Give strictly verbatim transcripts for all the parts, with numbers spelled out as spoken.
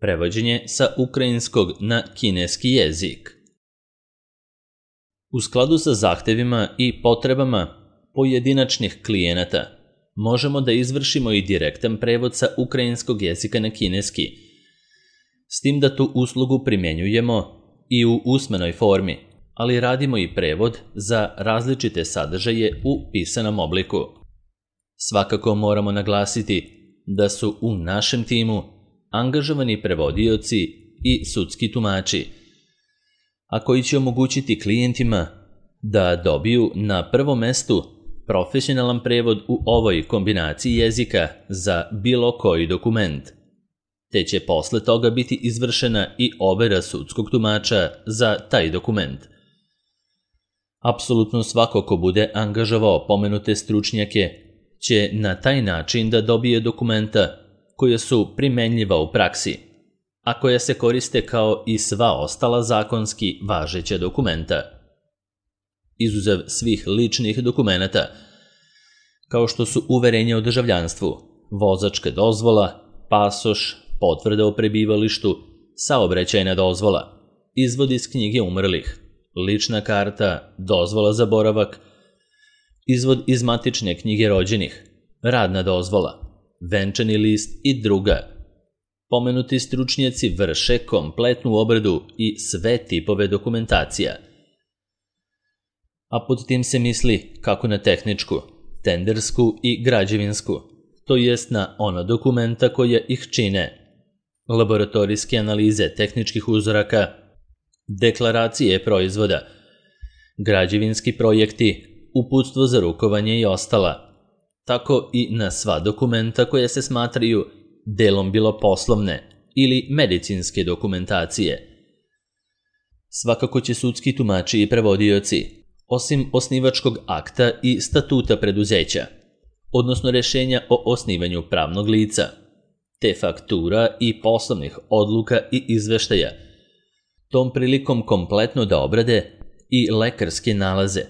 Prevođenje sa ukrajinskog na kineski jezik. U skladu sa zahtevima i potrebama pojedinačnih klijenata možemo da izvršimo i direktan prevod sa ukrajinskog jezika na kineski, s tim da tu uslugu primjenjujemo i u usmenoj formi, ali radimo i prevod za različite sadržaje u pisanom obliku. Svakako moramo naglasiti da su u našem timu angažovani prevodioci i sudski tumači, a koji će omogućiti klijentima da dobiju na prvom mestu profesionalan prevod u ovoj kombinaciji jezika za bilo koji dokument, te će posle toga biti izvršena i overa sudskog tumača za taj dokument. Apsolutno svako ko bude angažovao pomenute stručnjake će na taj način da dobije dokumenta koja su primenljiva u praksi, a koja se koriste kao i sva ostala zakonski važeća dokumenta, izuzev svih ličnih dokumenata, kao što su uverenje o državljanstvu, vozačka dozvola, pasoš, potvrda o prebivalištu, saobraćajna dozvola, izvod iz knjige umrlih, lična karta, dozvola za boravak, izvod iz matične knjige rođenih, radna dozvola, venčani list i druga. Pomenuti stručnjaci vrše kompletnu obradu i sve tipove dokumentacija. A pod tim se misli kako na tehničku, tendersku i građevinsku, to jest na ona dokumenta koja ih čine: laboratorijske analize tehničkih uzoraka, deklaracije proizvoda, građevinski projekti, uputstvo za rukovanje i ostala, tako i na sva dokumenta koja se smatraju delom bilo poslovne ili medicinske dokumentacije. Svakako će sudski tumači i prevodioci, osim osnivačkog akta i statuta preduzeća, odnosno rešenja o osnivanju pravnog lica, te faktura i poslovnih odluka i izveštaja, tom prilikom kompletno da obrade i lekarske nalaze,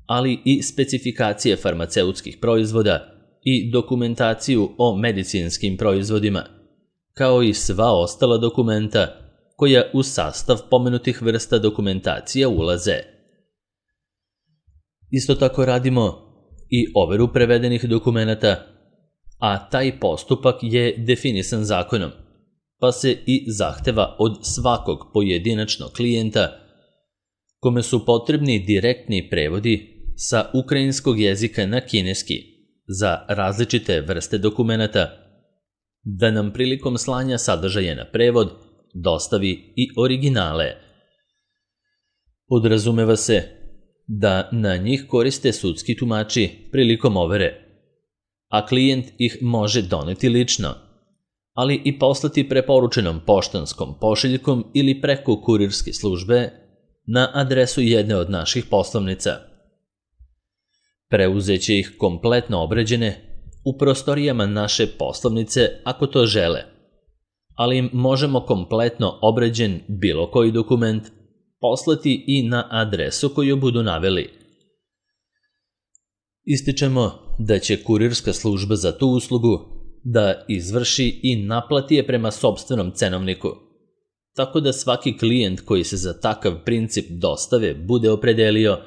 ali i specifikacije farmaceutskih proizvoda i dokumentaciju o medicinskim proizvodima, kao i sva ostala dokumenta koja u sastav pomenutih vrsta dokumentacija ulaze. Isto tako radimo i overu prevedenih dokumenata, a taj postupak je definisan zakonom, pa se i zahteva od svakog pojedinačnog klijenta kome su potrebni direktni prevodi sa ukrajinskog jezika na kineski za različite vrste dokumenata, da nam prilikom slanja sadržaja na prevod dostavi i originale. Podrazumeva se da na njih koriste sudski tumači prilikom overe, a klijent ih može doneti lično, ali i poslati preporučenom poštanskom pošiljkom ili preko kurirske službe na adresu jedne od naših poslovnica. Preuzeće ih kompletno obrađene u prostorijama naše poslovnice ako to žele, ali im možemo kompletno obrađen bilo koji dokument poslati i na adresu koju budu naveli. Ističemo da će kurirska služba za tu uslugu da izvrši i naplati je prema sopstvenom cenovniku, tako da svaki klijent koji se za takav princip dostave bude opredelio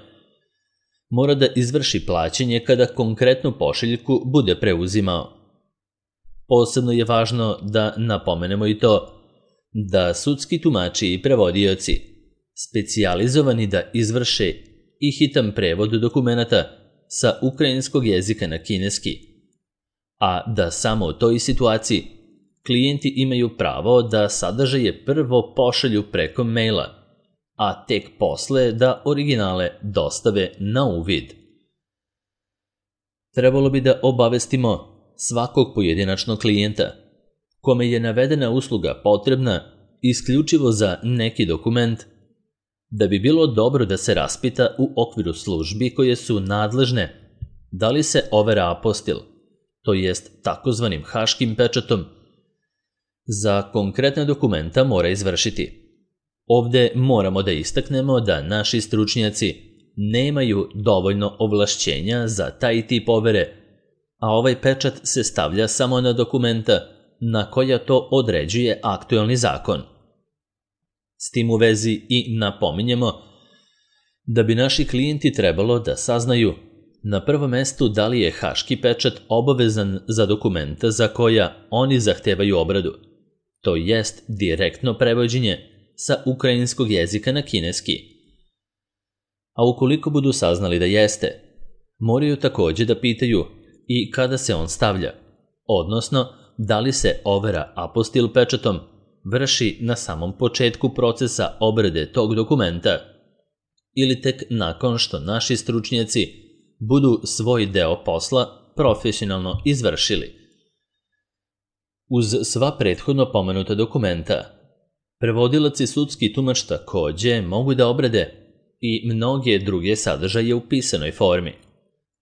mora da izvrši plaćanje kada konkretnu pošiljku bude preuzimao. Posebno je važno da napomenemo i to da sudski tumači i prevodioci, specijalizovani da izvrše i hitan prevod dokumenata sa ukrajinskog jezika na kineski, a da samo u toj situaciji klijenti imaju pravo da sadržaje prvo pošalju preko maila, a tek posle da originale dostave na uvid. Trebalo bi da obavestimo svakog pojedinačnog klijenta kome je navedena usluga potrebna isključivo za neki dokument, da bi bilo dobro da se raspita u okviru službi koje su nadležne da li se overa apostil, to jest takozvanim haškim pečatom, za konkretne dokumenta mora izvršiti. Ovde moramo da istaknemo da naši stručnjaci nemaju dovoljno ovlašćenja za taj tip overe, a ovaj pečat se stavlja samo na dokumenta na koja to određuje aktuelni zakon. S tim u vezi i napominjemo da bi naši klijenti trebalo da saznaju na prvom mestu da li je haški pečat obavezan za dokumenta za koja oni zahtevaju obradu, to jest direktno prevođenje sa ukrajinskog jezika na kineski. A ukoliko budu saznali da jeste, moraju također da pitaju i kada se on stavlja, odnosno da li se overa apostil pečatom vrši na samom početku procesa obrade tog dokumenta ili tek nakon što naši stručnjaci budu svoj deo posla profesionalno izvršili. Uz sva prethodno pomenuta dokumenta, prevodilac i sudski tumač također mogu da obrade i mnoge druge sadržaje u pisanoj formi,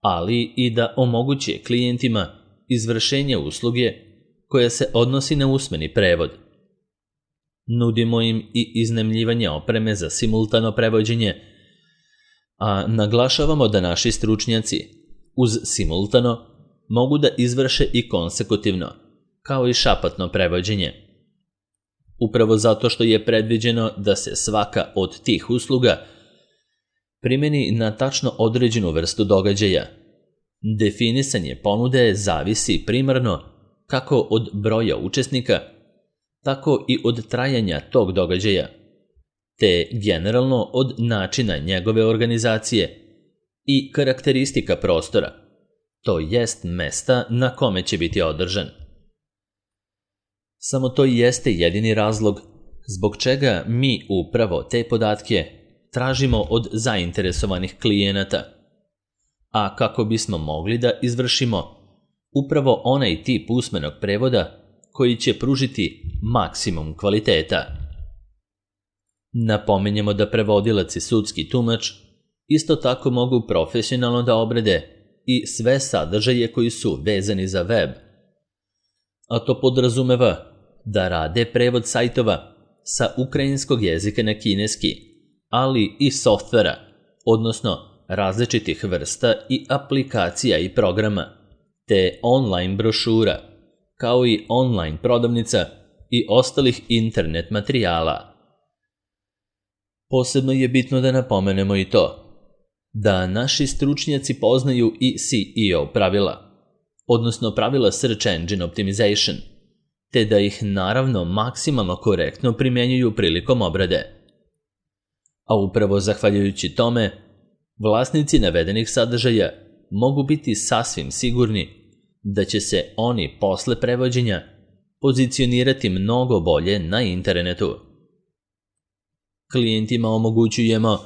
ali i da omoguće klijentima izvršenje usluge koja se odnosi na usmeni prevod. Nudimo im i iznajmljivanje opreme za simultano prevođenje, a naglašavamo da naši stručnjaci uz simultano mogu da izvrše i konsekutivno, kao i šapatno prevođenje. Upravo zato što je predviđeno da se svaka od tih usluga primeni na tačno određenu vrstu događaja. Definisanje ponude zavisi primarno kako od broja učesnika, tako i od trajanja tog događaja, te generalno od načina njegove organizacije i karakteristika prostora, to jest mesta na kome će biti održan. Samo to i jeste jedini razlog zbog čega mi upravo te podatke tražimo od zainteresovanih klijenata, a kako bismo mogli da izvršimo upravo onaj tip usmenog prevoda koji će pružiti maksimum kvaliteta. Napominjemo da prevodilac i sudski tumač isto tako mogu profesionalno da obrade i sve sadržaje koji su vezani za web, a to podrazumeva da rade prevod sajtova sa ukrajinskog jezika na kineski, ali i softvera, odnosno različitih vrsta i aplikacija i programa, te online brošura, kao i online prodavnica i ostalih internet materijala. Posebno je bitno da napomenemo i to da naši stručnjaci poznaju i S E O pravila, odnosno pravila Search Engine Optimization, te da ih naravno maksimalno korektno primjenjuju prilikom obrade. A upravo zahvaljujući tome, vlasnici navedenih sadržaja mogu biti sasvim sigurni da će se oni posle prevođenja pozicionirati mnogo bolje na internetu. Klijentima omogućujemo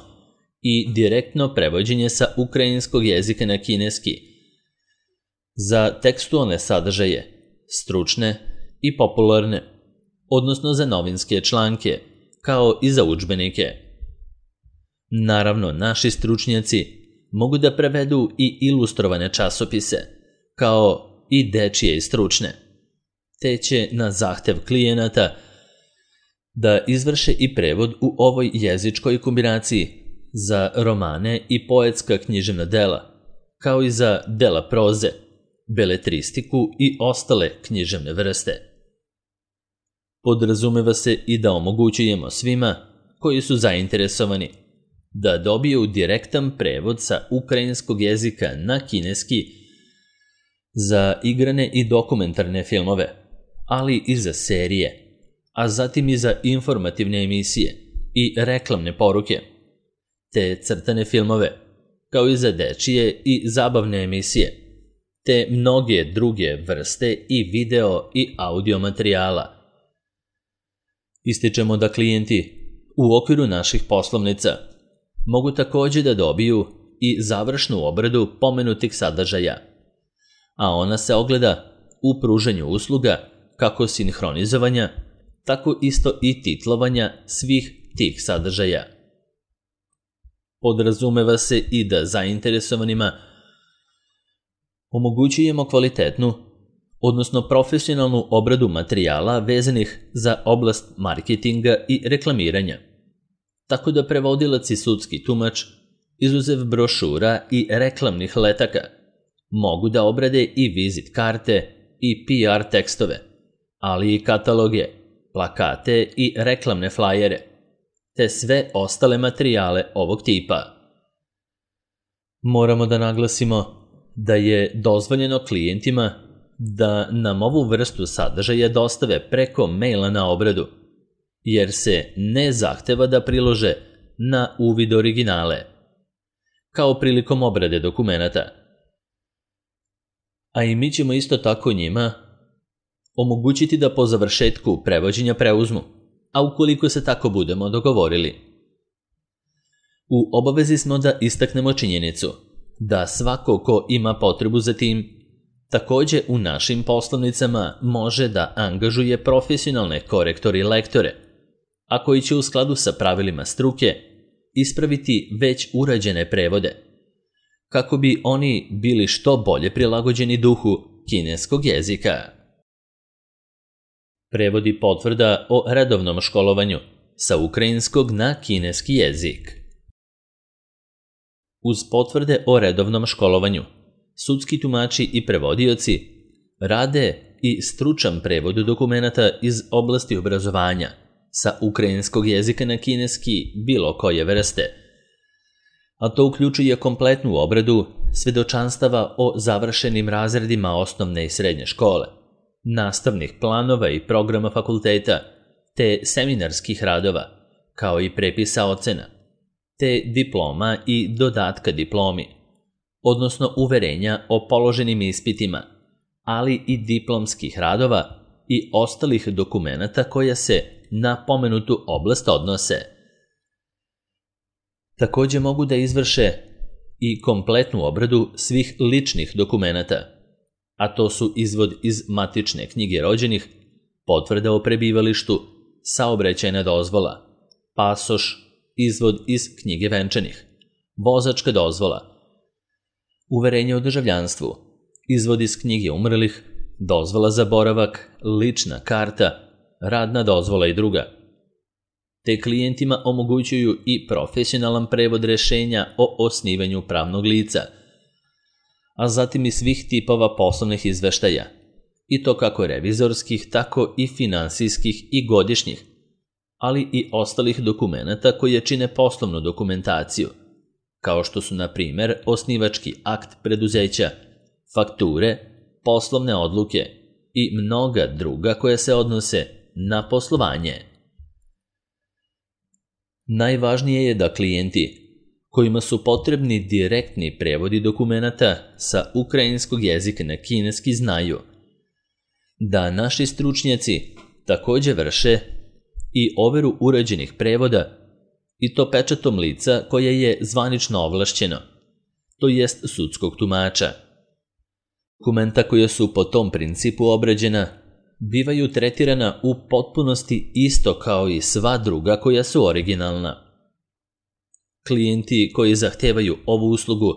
i direktno prevođenje sa ukrajinskog jezika na kineski za tekstualne sadržaje, stručne i popularne, odnosno za novinske članke, kao i za udžbenike. Naravno, naši stručnjaci mogu da prevedu i ilustrovane časopise, kao i dečije i stručne, te će na zahtev klijenata da izvrše i prevod u ovoj jezičkoj kombinaciji za romane i poetska književna dela, kao i za dela proze, beletristiku i ostale književne vrste. Podrazumeva se i da omogućujemo svima koji su zainteresovani da dobiju direktan prevod sa ukrajinskog jezika na kineski za igrane i dokumentarne filmove, ali i za serije, a zatim i za informativne emisije i reklamne poruke, te crtane filmove, kao i za dečije i zabavne emisije, te mnoge druge vrste i video i audio materijala. Ističemo da klijenti u okviru naših poslovnica mogu također da dobiju i završnu obradu pomenutih sadržaja, a ona se ogleda u pružanju usluga kako sinhronizovanja, tako isto i titlovanja svih tih sadržaja. Podrazumeva se i da zainteresovanima omogućujemo kvalitetnu, odnosno profesionalnu obradu materijala vezanih za oblast marketinga i reklamiranja, tako da prevodilac i sudski tumač, izuzev brošura i reklamnih letaka, mogu da obrade i vizit karte i P R tekstove, ali i kataloge, plakate i reklamne flajere, te sve ostale materijale ovog tipa. Moramo da naglasimo da je dozvoljeno klijentima da nam ovu vrstu sadržaja dostave preko maila na obradu, jer se ne zahteva da prilože na uvid originale, kao prilikom obrade dokumenata. A i mi ćemo isto tako njima omogućiti da po završetku prevođenja preuzmu, a ukoliko se tako budemo dogovorili. U obavezi smo da istaknemo činjenicu da svako ko ima potrebu za tim, takođe u našim poslovnicama može da angažuje profesionalne korektore i lektore, a koji će u skladu sa pravilima struke ispraviti već urađene prevode, kako bi oni bili što bolje prilagođeni duhu kineskog jezika. Prevodi potvrda o redovnom školovanju sa ukrajinskog na kineski jezik. Uz potvrde o redovnom školovanju, sudski tumači i prevodioci rade i stručan prevod dokumenata iz oblasti obrazovanja sa ukrajinskog jezika na kineski bilo koje vrste, a to uključuje kompletnu obradu svedočanstava o završenim razredima osnovne i srednje škole, nastavnih planova i programa fakulteta, te seminarskih radova, kao i prepisa ocena, te diploma i dodatka diplomi, odnosno uverenja o položenim ispitima, ali i diplomskih radova i ostalih dokumenata koja se na pomenutu oblast odnose. Takođe mogu da izvrše i kompletnu obradu svih ličnih dokumenata, a to su izvod iz matične knjige rođenih, potvrda o prebivalištu, saobraćajna dozvola, pasoš, izvod iz knjige venčanih, vozačka dozvola, uverenje o državljanstvu, izvod iz knjige umrlih, dozvola za boravak, lična karta, radna dozvola i druga. Te klijentima omogućuju i profesionalan prevod rešenja o osnivanju pravnog lica, a zatim i svih tipova poslovnih izveštaja, i to kako revizorskih, tako i finansijskih i godišnjih, ali i ostalih dokumenata koje čine poslovnu dokumentaciju, kao što su, na primer, osnivački akt preduzeća, fakture, poslovne odluke i mnoga druga koja se odnose na poslovanje. Najvažnije je da klijenti kojima su potrebni direktni prevodi dokumenata sa ukrajinskog jezika na kineski znaju da naši stručnjaci takođe vrše i overu urađenih prevoda, i to pečatom lica koje je zvanično ovlašćeno, to jest sudskog tumača. Dokumenta koja su po tom principu obrađena bivaju tretirana u potpunosti isto kao i sva druga koja su originalna. Klijenti koji zahtevaju ovu uslugu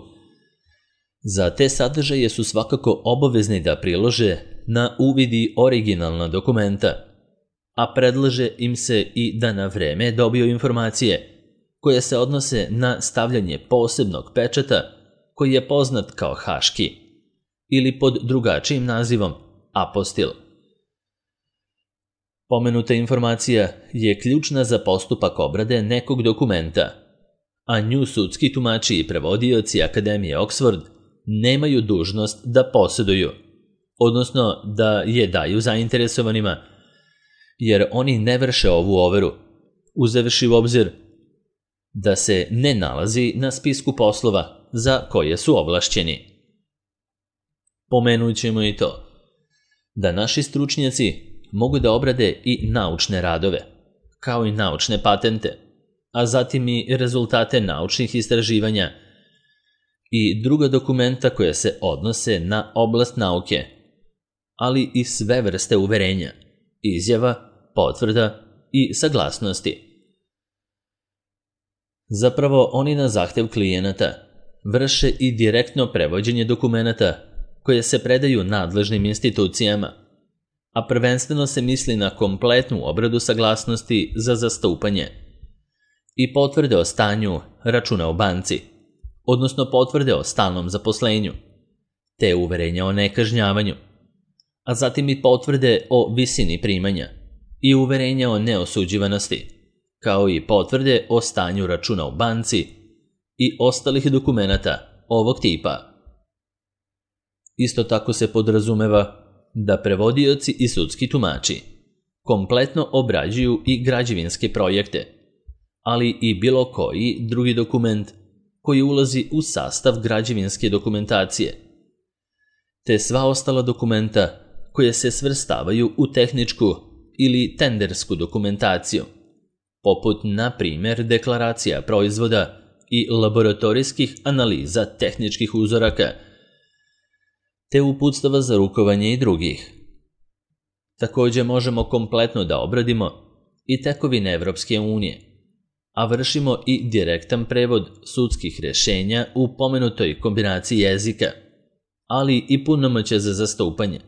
za te sadržaje su svakako obavezni da prilože na uvidi originalna dokumenta, a predlaže im se i da na vreme dobiju informacije koje se odnose na stavljanje posebnog pečata koji je poznat kao haški ili pod drugačijim nazivom apostil. Pomenuta informacija je ključna za postupak obrade nekog dokumenta, a nju sudski tumači i prevodioci Akademije Oxford nemaju dužnost da posjeduju, odnosno da je daju zainteresovanima, jer oni ne vrše ovu overu, uzevši u obzir da se ne nalazi na spisku poslova za koje su ovlašćeni. Pomenut ćemo i to da naši stručnjaci mogu da obrade i naučne radove, kao i naučne patente, a zatim i rezultate naučnih istraživanja i druga dokumenta koja se odnose na oblast nauke, ali i sve vrste uverenja, izjava, potvrda i saglasnosti. Zapravo, oni na zahtev klijenata vrše i direktno prevođenje dokumenata koje se predaju nadležnim institucijama, a prvenstveno se misli na kompletnu obradu saglasnosti za zastupanje i potvrde o stanju računa u banci, odnosno potvrde o stalnom zaposlenju, te uverenja o nekažnjavanju, a zatim i potvrde o visini primanja i uverenja o neosuđivanosti, kao i potvrde o stanju računa u banci i ostalih dokumenata ovog tipa. Isto tako se podrazumeva da prevodioci i sudski tumači kompletno obrađuju i građevinske projekte, ali i bilo koji drugi dokument koji ulazi u sastav građevinske dokumentacije, te sva ostala dokumenta koje se svrstavaju u tehničku ili tendersku dokumentaciju, poput, na primjer, deklaracija proizvoda i laboratorijskih analiza tehničkih uzoraka, te uputstava za rukovanje i drugih. Također možemo kompletno da obradimo i tekovine Evropske unije, a vršimo i direktan prevod sudskih rješenja u pomenutoj kombinaciji jezika, ali i punomoćja za zastupanje.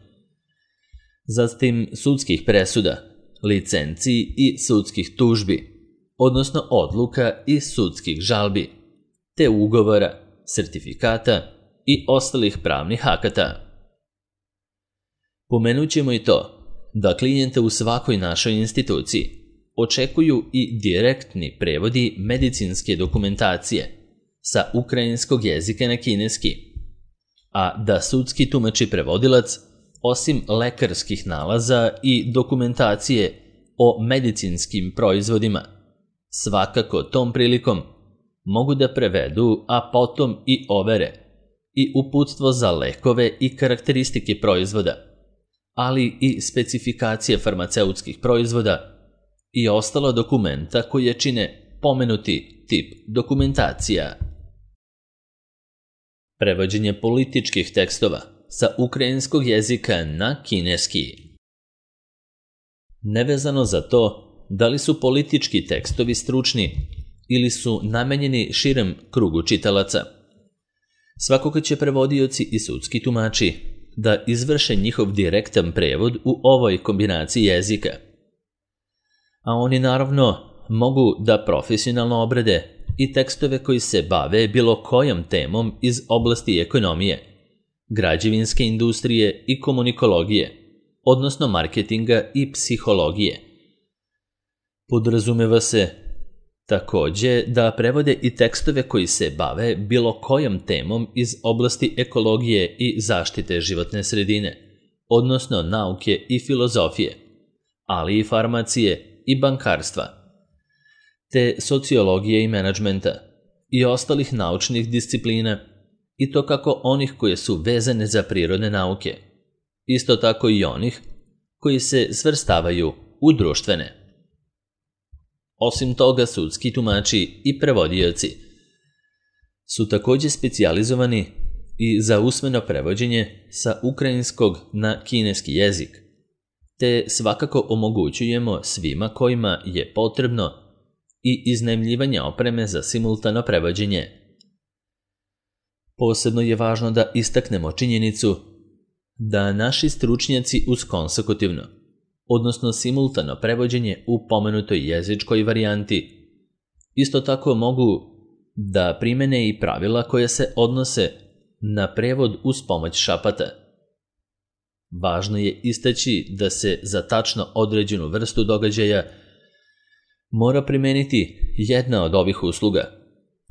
Zatim sudskih presuda, licenciji i sudskih tužbi, odnosno odluka i sudskih žalbi, te ugovora, sertifikata i ostalih pravnih akata. Pomenut ćemo i to da klijente u svakoj našoj instituciji očekuju i direktni prevodi medicinske dokumentacije sa ukrajinskog jezika na kineski, a da sudski tumač i prevodilac, osim lekarskih nalaza i dokumentacije o medicinskim proizvodima, svakako tom prilikom mogu da prevedu, a potom i overe i uputstvo za lekove i karakteristike proizvoda, ali i specifikacije farmaceutskih proizvoda i ostala dokumenta koje čine pomenuti tip dokumentacija. Prevođenje političkih tekstova sa ukrajinskog jezika na kineski. Nevezano za to da li su politički tekstovi stručni ili su namenjeni širem krugu čitalaca, svakako će prevodioci i sudski tumači da izvrše njihov direktan prevod u ovoj kombinaciji jezika. A oni naravno mogu da profesionalno obrade i tekstove koji se bave bilo kojom temom iz oblasti ekonomije, građevinske industrije i komunikologije, odnosno marketinga i psihologije. Podrazumeva se također da prevode i tekstove koji se bave bilo kojom temom iz oblasti ekologije i zaštite životne sredine, odnosno nauke i filozofije, ali i farmacije i bankarstva, te sociologije i menadžmenta i ostalih naučnih disciplina, i to kako onih koje su vezane za prirodne nauke, isto tako i onih koji se svrstavaju u društvene. Osim toga, sudski tumači i prevodioci su također specijalizovani i za usmeno prevođenje sa ukrajinskog na kineski jezik, te svakako omogućujemo svima kojima je potrebno i iznajmljivanje opreme za simultano prevođenje. Posebno je važno da istaknemo činjenicu da naši stručnjaci uz konsekutivno, odnosno simultano prevođenje u pomenutoj jezičkoj varijanti, isto tako mogu da primene i pravila koja se odnose na prevod uz pomoć šapata. Važno je istaći da se za tačno određenu vrstu događaja mora primeniti jedna od ovih usluga,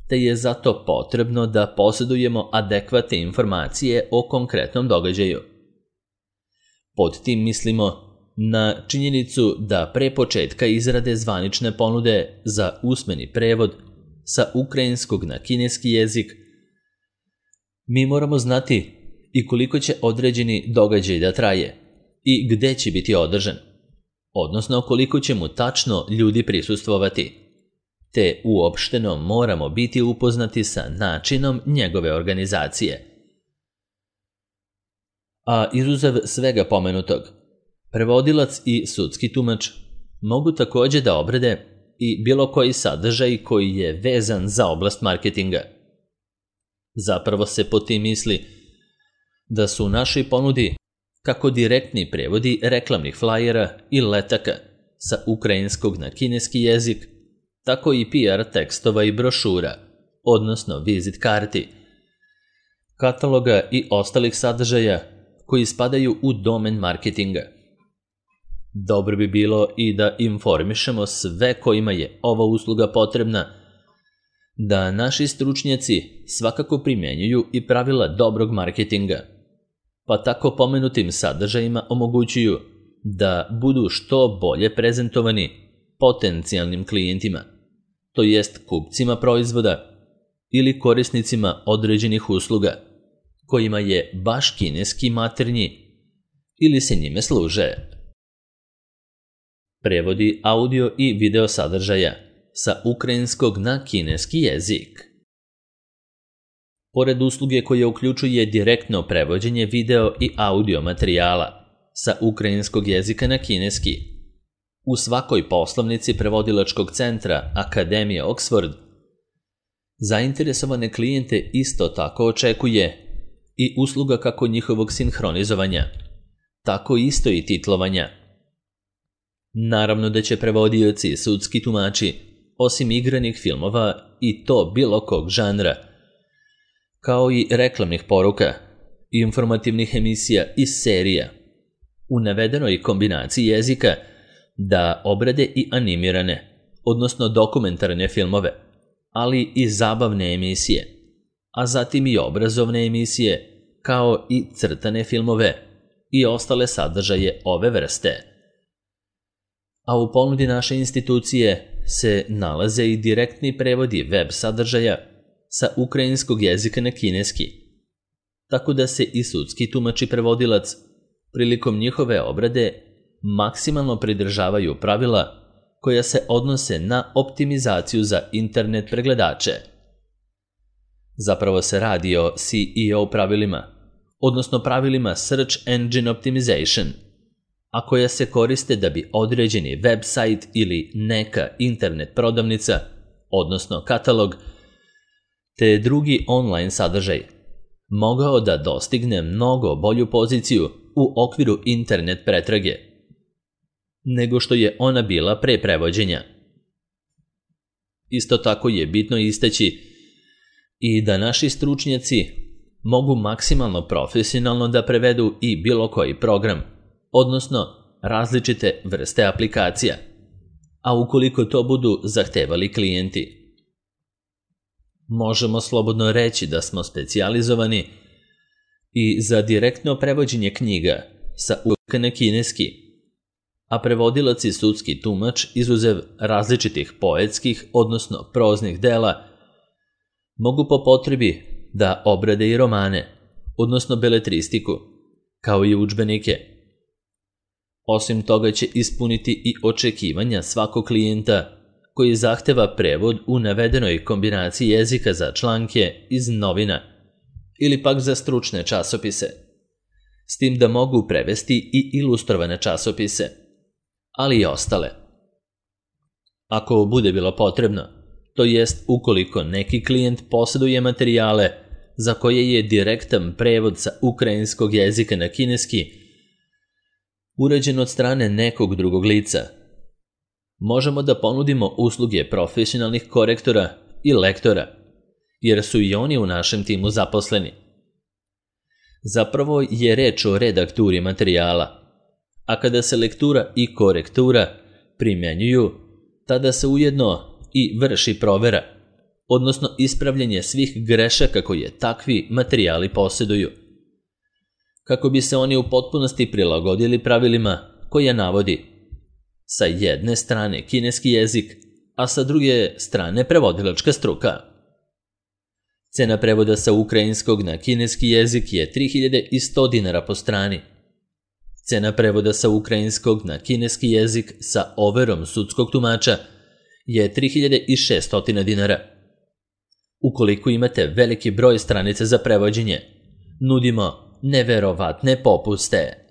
te je zato potrebno da posjedujemo adekvatne informacije o konkretnom događaju. Pod tim mislimo na činjenicu da pre početka izrade zvanične ponude za usmeni prevod sa ukrajinskog na kineski jezik, mi moramo znati i koliko će određeni događaj da traje i gde će biti održan, odnosno koliko će mu tačno ljudi prisustvovati, te uopšteno moramo biti upoznati sa načinom njegove organizacije. A izuzev svega pomenutog, prevodilac i sudski tumač mogu također da obrade i bilo koji sadržaj koji je vezan za oblast marketinga. Zapravo se po tim misli da su u našoj ponudi kako direktni prevodi reklamnih flajera i letaka sa ukrajinskog na kineski jezik, tako i P R tekstova i brošura, odnosno vizit karti, kataloga i ostalih sadržaja koji spadaju u domen marketinga. Dobro bi bilo i da informišemo sve kojima je ova usluga potrebna, da naši stručnjaci svakako primjenjuju i pravila dobrog marketinga, pa tako pomenutim sadržajima omogućuju da budu što bolje prezentovani potencijalnim klijentima, to jest kupcima proizvoda ili korisnicima određenih usluga, kojima je baš kineski maternji ili se njime služe. Prevodi audio i video sadržaja sa ukrajinskog na kineski jezik. Pored usluge koja uključuje direktno prevođenje video i audio materijala sa ukrajinskog jezika na kineski, u svakoj poslovnici prevodilačkog centra Akademije Oxford zainteresovane klijente isto tako očekuje i usluga kako njihovog sinhronizovanja, tako isto i titlovanja. Naravno da će prevodioci i sudski tumači, osim igranih filmova i to bilo kog žanra, kao i reklamnih poruka, informativnih emisija i serija, u navedenoj kombinaciji jezika da obrade i animirane, odnosno dokumentarne filmove, ali i zabavne emisije, a zatim i obrazovne emisije, kao i crtane filmove i ostale sadržaje ove vrste. A u ponudi naše institucije se nalaze i direktni prevodi web sadržaja sa ukrajinskog jezika na kineski, tako da se i sudski tumač i prevodilac prilikom njihove obrade maksimalno pridržavaju pravila koja se odnose na optimizaciju za internet pregledače. Zapravo se radi o S E O pravilima, odnosno pravilima Search Engine Optimization, a koja se koriste da bi određeni website ili neka internet prodavnica, odnosno katalog, te drugi online sadržaj, mogao da dostigne mnogo bolju poziciju u okviru internet pretrage, nego što je ona bila pre prevođenja. Isto tako je bitno istaći i da naši stručnjaci mogu maksimalno profesionalno da prevedu i bilo koji program, odnosno različite vrste aplikacija, a ukoliko to budu zahtevali klijenti. Možemo slobodno reći da smo specijalizovani i za direktno prevođenje knjiga sa uvijek na kineski, a prevodilac i sudski tumač, izuzev različitih poetskih, odnosno proznih dela, mogu po potrebi da obrade i romane, odnosno beletristiku, kao i udžbenike. Osim toga će ispuniti i očekivanja svakog klijenta koji zahteva prevod u navedenoj kombinaciji jezika za članke iz novina ili pak za stručne časopise, s tim da mogu prevesti i ilustrovane časopise, ali i ostale. Ako bude bilo potrebno, to jest ukoliko neki klijent posjeduje materijale za koje je direktan prevod sa ukrajinskog jezika na kineski urađen od strane nekog drugog lica, možemo da ponudimo usluge profesionalnih korektora i lektora, jer su i oni u našem timu zaposleni. Zapravo je reč o redakturi materijala, a kada se lektura i korektura primjenjuju, tada se ujedno i vrši provera, odnosno ispravljanje svih grešaka koje takvi materijali posjeduju, kako bi se oni u potpunosti prilagodili pravilima koje navodi sa jedne strane kineski jezik, a sa druge strane prevodilačka struka. Cena prevoda sa ukrajinskog na kineski jezik je tri hiljade sto dinara po strani. Cena prevoda sa ukrajinskog na kineski jezik sa overom sudskog tumača je tri hiljade šesto dinara. Ukoliko imate veliki broj stranica za prevođenje, nudimo neverovatne popuste.